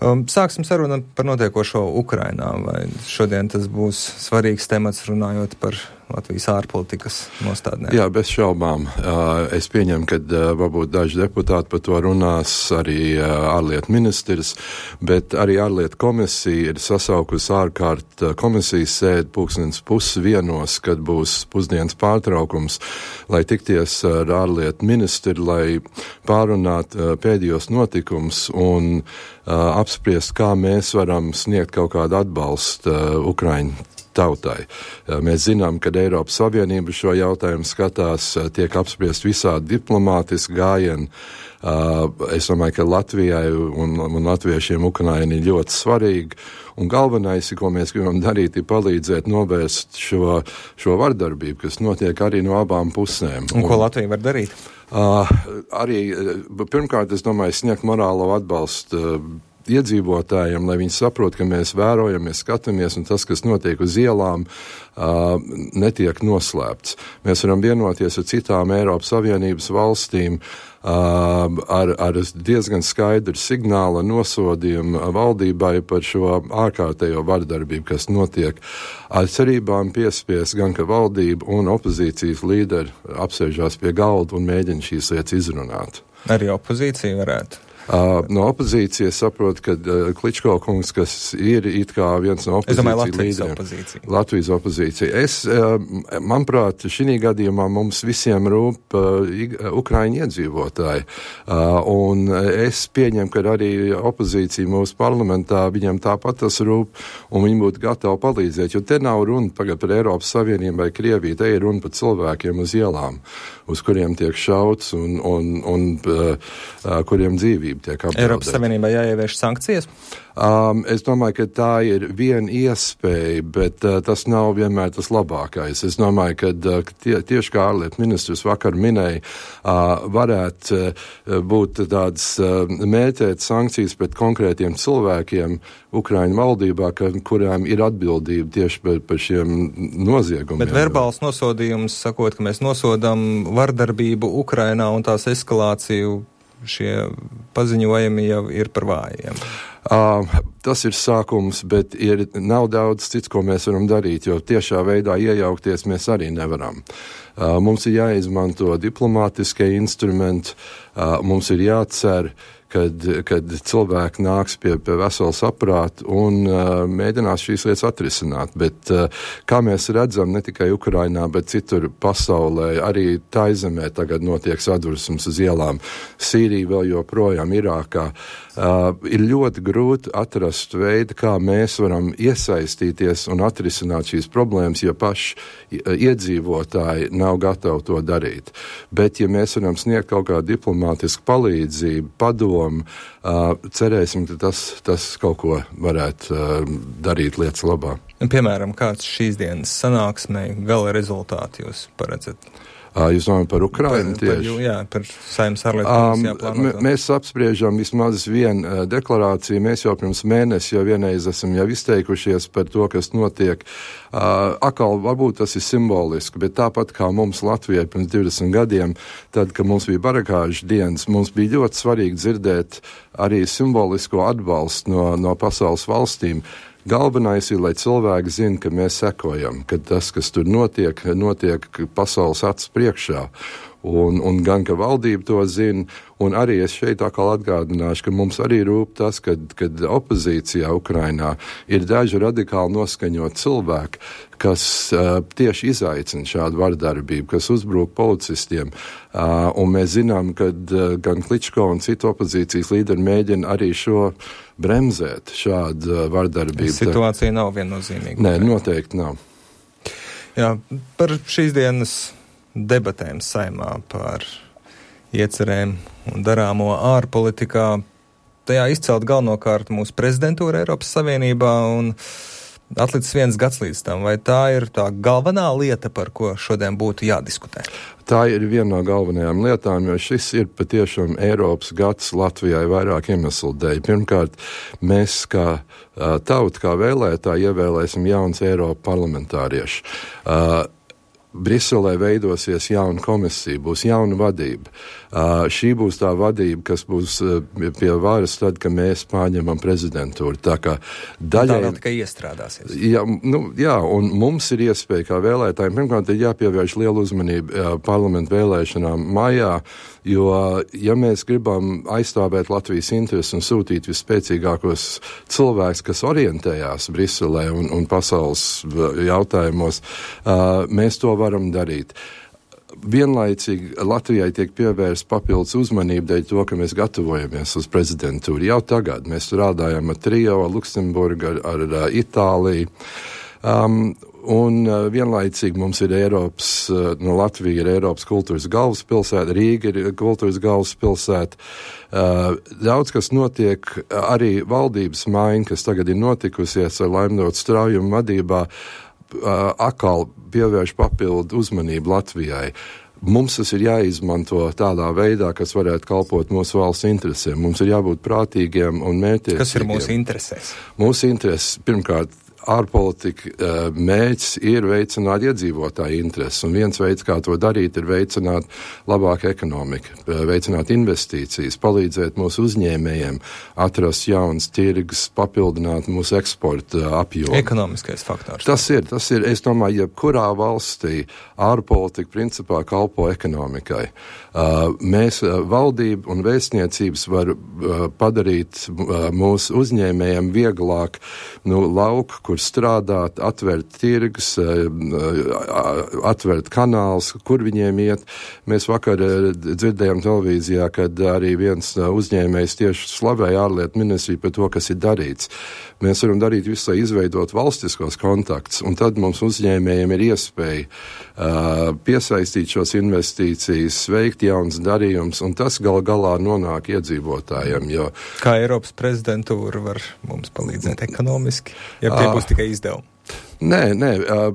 Sāksim sarunu par notiekošo Ukrainā, vai šodien tas būs svarīgs temats runājot par Latvijas ārpolitikas nostādnēm? Jā, bez šaubām. Es pieņemu, ka varbūt daži deputāti par to runās, arī ārlietu ministrs, bet arī ārlietu komisija ir sasaukusi ārkārt komisijas sēdi 12:30, kad būs pusdienas pārtraukums, lai tikties ar ārlietu ministru, lai pārunātu pēdējos notikumus un apspriest, kā mēs varam sniegt kaut kādu atbalstu Ukraiņu tautai. Mēs zinām, ka Eiropas Savienība šo jautājumu skatās, tiek apspriest visādi diplomātiski gājieni. Es domāju, ka Latvijai un latviešiem Ukraina ir ļoti svarīga, un galvenais, ko mēs gribam darīt, ir palīdzēt novērst šo vardarbību, kas notiek arī no abām pusēm. Un ko Latvija var darīt? Arī, pirmkārt, es domāju, sniegt morālo atbalstu iedzīvotājiem, lai viņi saprot, ka mēs vērojam, mēs skatāmies, un tas, kas notiek uz ielām, netiek noslēpts. Mēs varam vienoties ar citām Eiropas Savienības valstīm ar diezgan skaidru signālu nosodījumu valdībai par šo ārkārtējo vardarbību, kas notiek. Ar cerībām piespies gan, ka valdība un opozīcijas līderi apsēžās pie galda un mēģina šīs lietas izrunāt. Arī opozīcija varētu? No opozīcijas saprot, ka Kličko kungs, kas ir it kā viens no opozīcijas līderiem. Latvijas opozīcija. Manuprāt, šī gadījumā mums visiem rūp Ukraiņu iedzīvotāji. Un es pieņemu, ka arī opozīcija mūsu parlamentā, viņam tāpat tas rūp, un viņi būtu gatavi palīdzēt, jo te nav runa tagad par Eiropas Savienību vai Krieviju, te ir runa par cilvēkiem uz ielām, uz kuriem tiek šauts un kuriem dzīvība tiek apdraudēta. Eiropas Savienībā jāievieš sankcijas? Es domāju, ka tā ir viena iespēja, bet tas nav vienmēr tas labākais. Es domāju, ka tieši kā ārlietu ministrs vakar minēja, varētu būt tādas mērķēt sankcijas pret konkrētiem cilvēkiem Ukraiņu valdībā, kurām ir atbildība tieši par šiem noziegumiem. Bet verbāls nosodījums, sakot, ka mēs nosodam vardarbību Ukrainā un tās eskalāciju, šie paziņojumi jau ir par vājiem. Tas ir sākums, bet nav daudz cits, ko mēs varam darīt, jo tiešā veidā iejaukties mēs arī nevaram. Mums ir jāizmanto diplomātiskie instrumenti, mums ir jācer, kad cilvēki nāks pie vesela saprāta un mēģinās šīs lietas atrisināt. Bet, kā mēs redzam, ne tikai Ukrainā, bet citur pasaulē, arī Taizemē tagad notiek sadursmes uz ielām, Sīrija vēl joprojām, Irākā. Ir ļoti grūti atrast veidu, kā mēs varam iesaistīties un atrisināt šīs problēmas, ja paši iedzīvotāji nav gatavi to darīt. Bet, ja mēs varam sniegt kaut kādu diplomātisku palīdzību, padomu, cerēsim, ka tas kaut ko varētu darīt lietas labā. Piemēram, kāds šīs dienas sanāksmē gala rezultāti jūs paredzat? Jūs domājat par Ukrainu tieši? Par Saeimas ārlietu komisijā plānoto. Mēs apspriežam vismaz vienu deklarāciju. Mēs jau pirms mēnesi vienreiz esam izteikušies par to, kas notiek. Atkal varbūt tas ir simboliski, bet tāpat kā mums Latvijai pirms 20 gadiem, tad, kad mums bija barakāžu dienas, mums bija ļoti svarīgi dzirdēt arī simbolisko atbalstu no pasaules valstīm. Galvenais ir, lai cilvēki zina, ka mēs sekojam, ka tas, kas tur notiek pasaules acis priekšā. Un gan, ka valdība to zina, un arī es šeit atkal atgādināšu, ka mums arī rūp tas, kad opozīcijā Ukrainā ir daži radikāli noskaņot cilvēki, kas tieši izaicina šādu vardarbību, kas uzbrūk policistiem. Un mēs zinām, ka gan Kličko un citu opozīcijas līderi mēģina arī šo bremzēt šādu vardarbību. Situācija nav viennozīmīga. Nē, noteikti nav. Jā, par šīs dienas debatēm Saeimā par iecerēm un darāmo ārpolitikā. Tajā izcelt galvenokārt mūsu prezidentūra Eiropas Savienībā un atlicis 1 gads līdz tam. Vai tā ir tā galvenā lieta, par ko šodien būtu jādiskutē? Tā ir viena no galvenajām lietām, jo šis ir patiešām Eiropas gads Latvijai vairāk iemeslu dēļ. Pirmkārt, mēs kā tauta, kā vēlētāji ievēlēsim jauns Eiropa parlamentārieši. Briselē veidosies jauna komisija, būs jauna vadība. Šī būs tā vadība, kas būs pie varas tad, kad mēs pārņemam prezidentūru. Tā kā daļai... Tā vēl tikai iestrādāsies. Jā, un mums ir iespēja kā vēlētājiem, pirmkārt, ir jāpievērš lielu uzmanību parlamentu vēlēšanām maijā, jo, ja mēs gribam aizstāvēt Latvijas intereses un sūtīt visspēcīgākos cilvēkus, kas orientējās Briselē un pasaules jautājumos, mēs to varam darīt. Vienlaicīgi Latvijai tiek pievērsta papildus uzmanība dēļ to, ka mēs gatavojamies uz prezidentūru. Jau tagad mēs strādājam ar Trio, Luksemburgu, ar Itāliju. Un vienlaicīgi mums ir Latvija ir Eiropas kultūras galvaspilsēta, Rīga ir kultūras galvaspilsēta. Daudz, kas notiek, arī valdības maiņa, kas tagad ir notikusies ar Laimdotu Straujumu vadībā, atkal pievērš papildu uzmanību Latvijai. Mums tas ir jāizmanto tādā veidā, kas varētu kalpot mūsu valsts interesēm. Mums ir jābūt prātīgiem un mērķtiecīgiem. Kas ir mūsu interesēs? Mūsu intereses, pirmkārt, ārpolitika mērķis ir veicināt iedzīvotāju intereses, un viens veids, kā to darīt, ir veicināt labāku ekonomiku, veicināt investīcijas, palīdzēt mūsu uzņēmējiem, atrast jaunas tirgus, papildināt mūsu eksporta apjomu. Ekonomiskais faktors. Tas ir, es domāju, jebkurā valstī ārpolitika principā kalpo ekonomikai. Mēs, valdība un vēstniecības var padarīt mūsu uzņēmējiem vieglāk lauku, kur strādāt, atvērt tirgus, atvērt kanāls, kur viņiem iet. Mēs vakar dzirdējām televīzijā, kad arī viens uzņēmējs tieši slavēja ārlietu ministriju par to, kas ir darīts. Mēs varam darīt visu, lai izveidot valstiskos kontaktus, un tad mums uzņēmējiem ir iespēja piesaistīt šos investīcijas, veikt jauns darījums, un tas galā nonāk iedzīvotājiem. Kā Eiropas prezidentūra var mums palīdzēt ekonomiski, ja tie būs tikai izdevumi? Nē,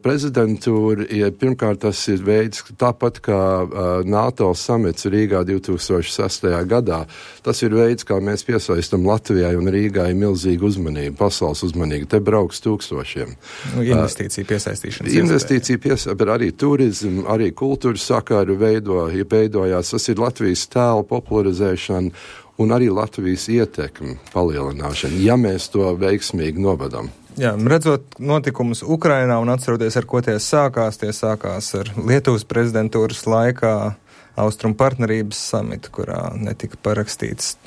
prezidentūra, pirmkārt, tas ir veids, tāpat kā NATO samits Rīgā 2006. gadā, tas ir veids, kā mēs piesaistam Latvijai un Rīgai milzīgu uzmanību, pasaules uzmanību. Te brauks tūkstošiem. Investīcija piesaistīšanas. Investīcija bet arī turismu, arī kultūras sakaru veidojās. Tas ir Latvijas tēla popularizēšana un arī Latvijas ietekmi palielināšana, ja mēs to veiksmīgi novadam. Jā, redzot notikumus Ukrainā un atceroties, ar ko tie sākās ar Lietuvas prezidentūras laikā Austrumu partnerības samitu, kurā netika parakstīts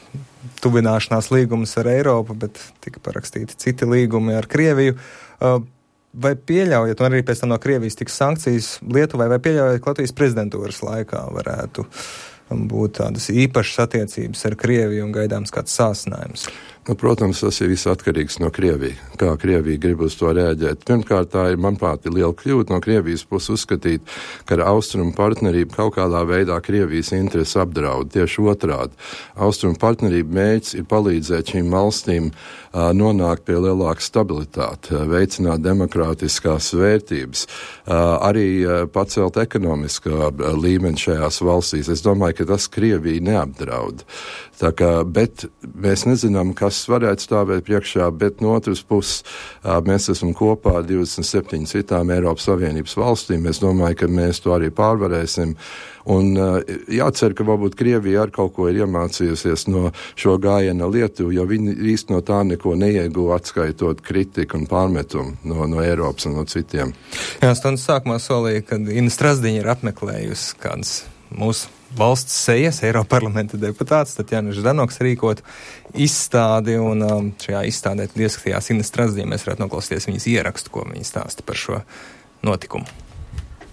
tuvināšanās līgumus ar Eiropu, bet tika parakstīti citi līgumi ar Krieviju. Vai pieļaujat, un arī pēc tam no Krievijas tiks sankcijas Lietuvai, vai pieļaujat, ka Latvijas prezidentūras laikā varētu būt tādas īpašas attiecības ar Krieviju un gaidāms kāds sāsinājums? Protams, tas ir viss atkarīgs no Krievijas. Kā Krievija grib uz to rēģēt? Pirmkārt, tā ir, manuprāt, liela kļūda no Krievijas puses uzskatīt, ka Austrumu partnerība kaut kādā veidā Krievijas intereses apdraud. Tieši otrādi. Austrumu partnerība mērķis ir palīdzēt šīm valstīm nonākt pie lielākas stabilitātes, veicināt demokrātiskās vērtības, arī pacelt ekonomiskā līmeni šajās valstīs. Es domāju, ka tas Krieviju neapdraud. Bet mēs nezinām, kas varētu stāvēt priekšā, bet no otras puses mēs esam kopā ar 27 citām Eiropas Savienības valstīm. Es domāju, ka mēs to arī pārvarēsim. Un jācer, ka varbūt Krievija ar kaut ko ir iemācījusies no šo gājiena Lietuvu, jo viņi īsti no tā neko neieguva, atskaitot kritiku un pārmetumu no Eiropas un no citiem. Jā, stundas sākumā solīja, kad Ina Strasdiņa ir apmeklējusi kādas mūsu valsts sejas, Eiroparlamenta deputāts, Tatjana Ždanoks rīkot izstādi, un šajā izstādē ieskatījās Ina Strasdiņa. Mēs varētu noklausīties viņas ierakstu, ko viņa stāsta par šo notikumu.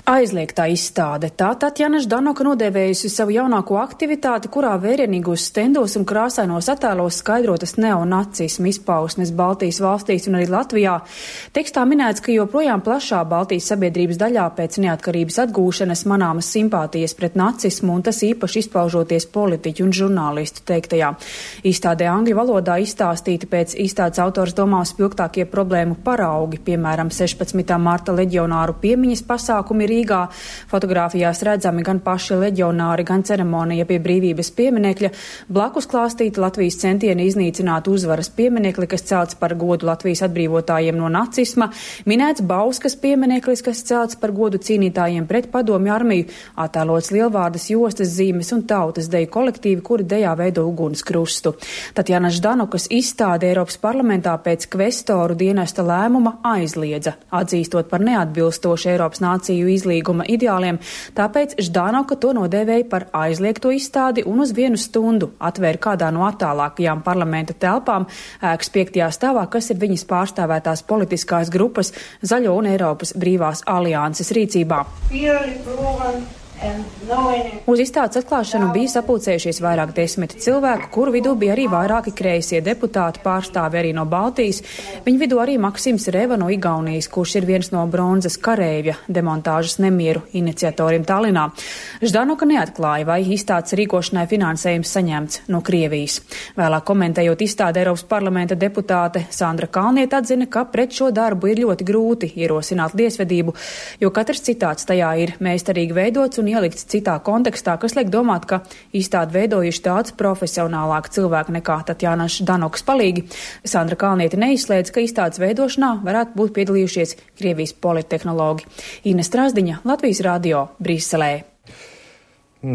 Aizliegtā izstāde. Tā Tatjana Ždanoka nodēvējusi savu jaunāko aktivitāti, kurā vērienīgos stendos un krāsainos attēlos skaidrotas neonacismu izpausmes Baltijas valstīs un arī Latvijā. Tekstā minēts, ka joprojām plašā Baltijas sabiedrības daļā pēc neatkarības atgūšanas manāmas simpātijas pret nacismu, un tas īpaši izpaužoties politiķu un žurnālistu teiktajā. Izstādē angļu valodā izstāstīti pēc izstādes autors domās spilgtākie problēmu paraugi, piemēram, 16. marta leģionāru piemiņas pasākumi ir Rīgā. Fotogrāfijās redzami gan paši leģionāri, gan ceremonija pie brīvības pieminekļa. Blakus klāstīta Latvijas centieni iznīcināt uzvaras pieminekli, kas celts par godu Latvijas atbrīvotājiem no nacisma. Minēts Bauskas piemineklis, kas celts par godu cīnītājiem pret padomju armiju. Attēlots lielvārdas, jostas zīmes un tautas deju kolektīvi, kuri dejā veido uguns krustu. Tatjana Ždanokas izstāde Eiropas parlamentā pēc kvestoru dienesta lēmuma aizliedza, atzīstot par neatbilstošu Eiropas nāciju izlīguma ideāliem, tāpēc Ždanoka to nodēvēja par aizliegto izstādi un uz 1 stundu atvēra kādā no attālākajām parlamenta telpām ēkas 5. stāvā, kas ir viņas pārstāvētās politiskās grupas Zaļo un Eiropas brīvās alianses rīcībā. Uz izstādes atklāšanu bija sapulcējušies vairāk 10 cilvēku, kuru vidū bija arī vairāki kreisie deputāti, pārstāvi arī no Baltijas. Viņu vidū arī Maksims Reva no Igaunijas, kurš ir viens no bronzas kareivja demontāžas nemieru iniciatoriem Tallinā. Ždanoka neatklāja, vai izstādes rīkošanai finansējums saņemts no Krievijas. Vēlāk komentējot izstādi, Eiropas parlamenta deputāte Sandra Kalniete atzina, ka pret šo darbu ir ļoti grūti ierosināt tiesvedību, jo katrs citāts tajā ir meistarīgi veidots un ielikts citā kontekstā, kas liek domāt, ka izstādi veidojuši daudz profesionālāk cilvēku nekā Tatjana Ždanokas palīgi. Sandra Kalniete neizslēdz, ka izstādes veidošanā varētu būt piedalījušies Krievijas polittehnologi. Ines Strasdiņa, Latvijas radio, Briselē.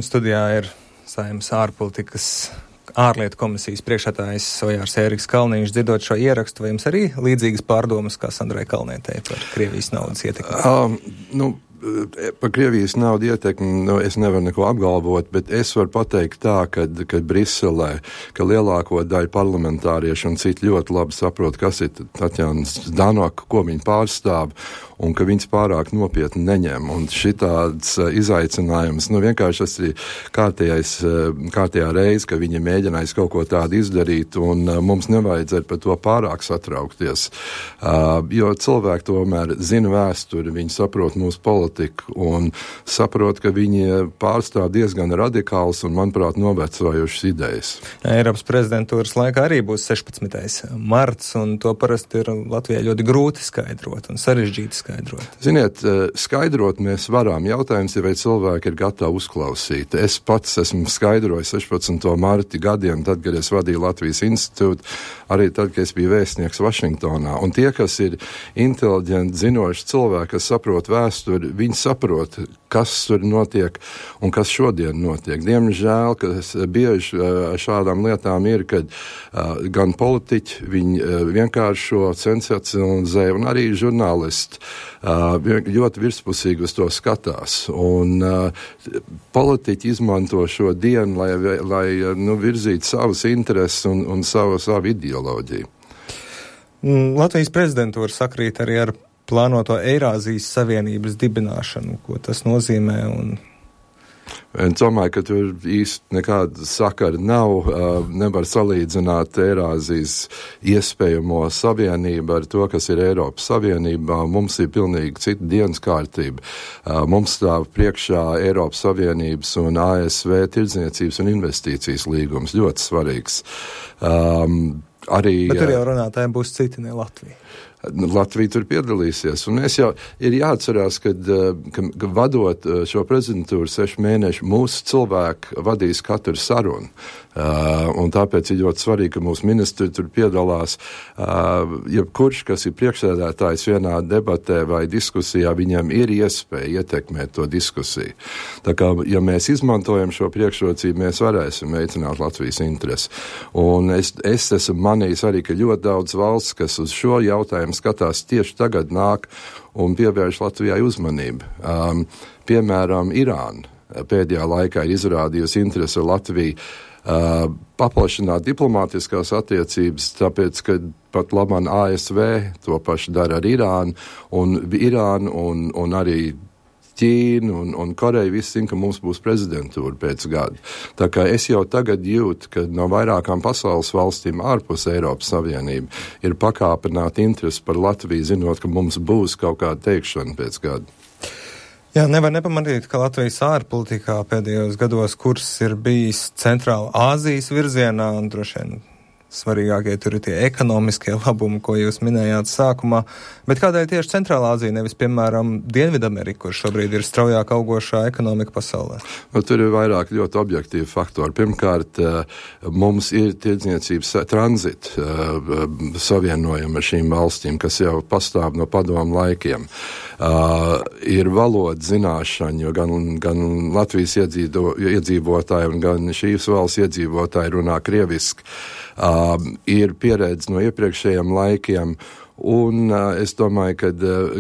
Studijā ir Saeimas ārlietu komisijas priekšsēdētājs Ojārs Ēriks Kalniņš. Dzirdot šo ierakstu, vai jums arī līdzīgas pārdomas kā Sandrai Kalnietei par Krievijas naudas ietekmi? Par Krievijas naudu ietekmi es nevaru neko apgalvot, bet es varu pateikt tā, ka Briselē, ka lielāko daļu parlamentāriešu un citi ļoti labi saprot, kas ir Tatjana Ždanoka, ko viņa pārstāv, un ka viņas pārāk nopietni neņem. Un šitāds izaicinājums, vienkārši tas ir kārtējā reize, ka viņi mēģinājis kaut ko tādu izdarīt, un mums nevajadzētu par to pārāk satraukties. Jo cilvēki tomēr zina vēsturi, viņi saprot mūsu politiku un saprot, ka viņi pārstāv diezgan radikāls un, manuprāt, novecojušas idejas. Eiropas prezidentūras laikā arī būs 16. marts, un to parasti ir Latvijai ļoti grūti skaidrot un sarežģīti skaidrot. Ziniet, skaidrot mēs varam. Jautājums ir, vai cilvēki ir gatavi uzklausīt. Es pats esmu skaidrojis 16. marti gadiem, tad, kad es vadīju Latvijas institūtu, arī tad, kad es biju vēstnieks Vašingtonā. Un tie, kas ir inteliģenti, zinoši cilvēki, kas saprot vēsturi, viņi saprot, kas tur notiek un kas šodien notiek. Diemžēl, kas bieži šādām lietām ir, kad gan politiķi, viņi vienkāršo sensacionalizē, un arī žurnālisti ļoti virspusīgi uz to skatās. Un politiķi izmanto šo dienu, lai virzītu savas intereses un savu ideoloģiju. Latvijas prezidentūra sakrīt arī ar plānoto Eirāzijas Savienības dibināšanu, ko tas nozīmē. Es domāju, ka tur īsti nekāda sakara nav. Nevar salīdzināt Eirāzijas iespējamo savienību ar to, kas ir Eiropas Savienībā. Mums ir pilnīgi cita dienas kārtība. Mums stāv priekšā Eiropas Savienības un ASV tirdzniecības un investīcijas līgums. Ļoti svarīgs. Bet tur jau runātājiem būs citi, ne Latvija. Latvija tur piedalīsies. Un es jau ir jāatcerās, ka vadot šo prezidentūru 6 mēnešu, mūsu cilvēki vadīs katru sarunu. Un tāpēc ir ļoti svarīgi, ka mūsu ministri tur piedalās. Jebkurš, kas ir priekšsēdētājs vienā debatē vai diskusijā, viņam ir iespēja ietekmēt to diskusiju. Tā kā, ja mēs izmantojam šo priekšrocību, mēs varēsim veicināt Latvijas interesi. Un es esmu manījis arī, ka ļoti daudz valsts, kas uz šo jautājumu skatās tieši tagad nāk un pievērš Latvijai uzmanību. Piemēram, Irāna pēdējā laikā ir izrādījusi interesi ar Latviju paplašināt diplomātiskās attiecības, tāpēc, ka pat labāk ASV to pašu dara ar Irānu, un arī Ķīna un Koreja visi zina, ka mums būs prezidentūra pēc gada. Tā kā es jau tagad jūtu, ka no vairākām pasaules valstīm ārpus Eiropas Savienība ir pakāpināta interese par Latviju, zinot, ka mums būs kaut kāda teikšana pēc gada. Jā, nevar nepamanīt, ka Latvijas ārpolitikā pēdējos gados kurs ir bijis Centrāla Āzijas virzienā, un droši vien svarīgākie tur ir tie ekonomiskie labumi, ko jūs minējāt sākumā. Bet kādēļ tieši Centrālā Āzija, nevis, piemēram, Dienvidamerika, kur šobrīd ir straujāk augošā ekonomika pasaulē? Tur ir vairāk ļoti objektīvi faktori. Pirmkārt, mums ir tirdzniecības tranzita savienojumi ar šīm valstīm, kas jau pastāv no padomu laikiem. Ir valodas zināšana, jo gan Latvijas iedzīvotāji un gan šīs valsts iedzīvotāji runā krieviski. Ir pieredze no iepriekšējiem laikiem, un es domāju, ka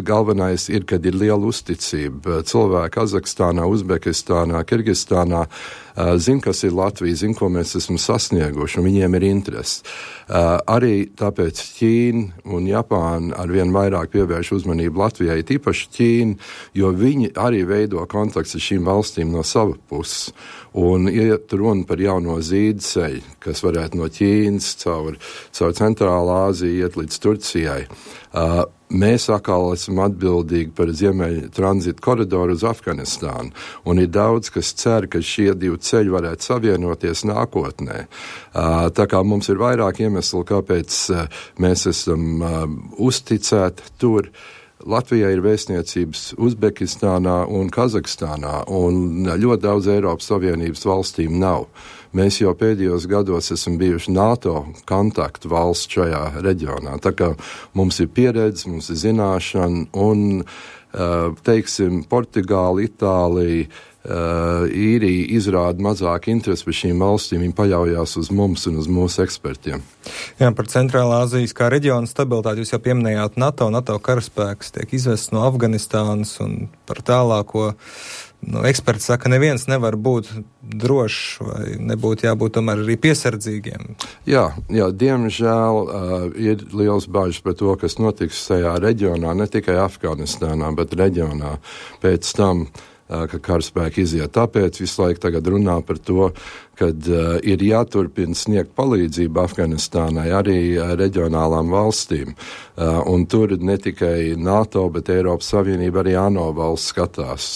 galvenais ir, kad ir liela uzticība. Cilvēki Kazahstānā, Uzbekistānā, Kirgistānā zina, kas ir Latvija, zina, ko mēs esam sasnieguši, un viņiem ir interesi. Arī tāpēc Ķīna un Japāna arvien vairāk pievērš uzmanību Latvijai, tīpaši Ķīna, jo viņi arī veido kontakts ar šīm valstīm no sava puses. Un iet runa par jauno zīdceļu, kas varētu no Ķīnas caur Centrālā Āziju iet līdz Turcijai. Mēs atkal esam atbildīgi par ziemeļu tranzītu koridoru uz Afganistānu, un ir daudz, kas cer, ka šie divi ceļi varētu savienoties nākotnē. Tā kā mums ir vairāk iemeslu, kāpēc mēs esam uzticēti tur. Latvijai ir vēstniecības Uzbekistānā un Kazahstānā, un ļoti daudz Eiropas Savienības valstīm nav. Mēs jau pēdējos gados esam bijuši NATO kontaktu valsts šajā reģionā. Tā kā mums ir pieredze, mums ir zināšana, un, teiksim, Portugāla, Itālija, Īrija izrāda mazāk interesi par šīm valstīm, viņi paļaujās uz mums un uz mūsu ekspertiem. Jā, par Centrālā Āzijas kā reģiona stabilitāti jūs jau pieminējāt NATO karaspēks tiek izvests no Afganistānas un par tālāko. Eksperti saka, neviens nevar būt drošs vai nebūtu jābūt tomēr arī piesardzīgiem. Jā, diemžēl ir liels bažas par to, kas notiks tajā reģionā, ne tikai Afganistānā, bet reģionā pēc tam, ka karaspēki iziet. Tāpēc visu laiku tagad runā par to, kad ir jāturpina sniegt palīdzību Afganistānai arī reģionālām valstīm. Un tur ne tikai NATO, bet Eiropas Savienība arī ANO valsts skatās.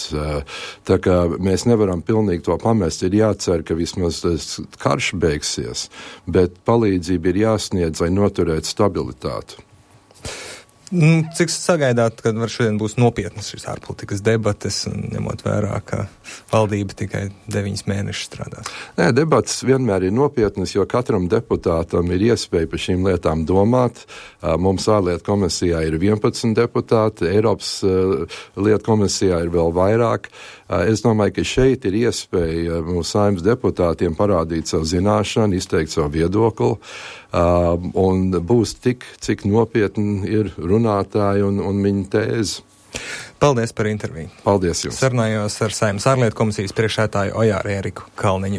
Tā kā mēs nevaram pilnīgi to pamest, ir jācer, ka vismaz karš beigsies, bet palīdzība ir jāsniedz, lai noturētu stabilitāti. Cik sagaidāt, kad šodien būs nopietnas šīs ārpolitikas debates, un ņemot vērā, ka valdība tikai 9 mēnešus strādās? Nē, debates vienmēr ir nopietnas, jo katram deputātam ir iespēja par šīm lietām domāt. Mums ārlietu komisijā ir 11 deputāti, Eiropas lietu komisijā ir vēl vairāk. Es domāju, ka šeit ir iespēja mūsu Saeimas deputātiem parādīt savu zināšanu, izteikt savu viedokli, un būs tik, cik nopietni ir runātāji un viņa tēze. Paldies par interviju. Paldies jums. Sarunājos ar Saeimas ārlietu komisijas priekšsēdētāju Ojāru Eriku Kalniņu.